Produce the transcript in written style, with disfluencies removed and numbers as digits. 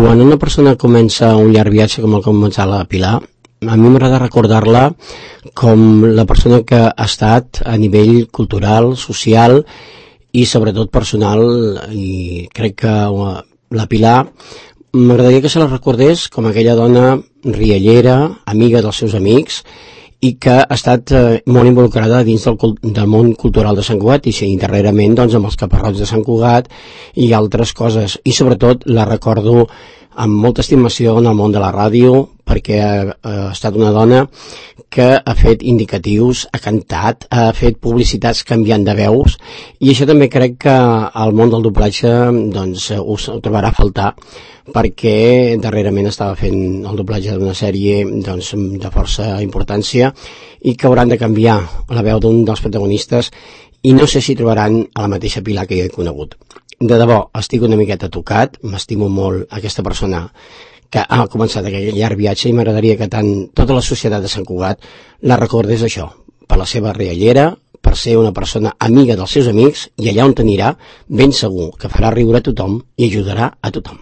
Quan una persona comença un llarg viatge com el que començar la Pilar, a mi m'agrada recordar-la com la persona que ha estat a nivell cultural, social i sobretot personal, i crec que la Pilar m'agradaria que se la recordés com aquella dona riallera, amiga dels seus amics, i que ha estat molt involucrada dins del món cultural de Sant Cugat i darrerament doncs, amb els Caparrots de Sant Cugat i altres coses, i sobretot la recordo amb molta estimació en el món de la ràdio, perquè ha estat una dona que ha fet indicatius, ha cantat, ha fet publicitats canviant de veus, i això també crec que al món del doblatge doncs, us ho trobarà a faltar, perquè darrerament estava fent el doblatge d'una sèrie doncs, de força importància i que hauran de canviar la veu d'un dels protagonistes, i no sé si trobaran a la mateixa Pilar que jo he conegut. De debò, estic una miqueta tocat, m'estimo molt aquesta persona que ha començat aquest llarg viatge, i m'agradaria que tant tota la societat de Sant Cugat la recordés això, per la seva riallera, per ser una persona amiga dels seus amics, i allà on t'anirà, ben segur que farà riure a tothom i ajudarà a tothom.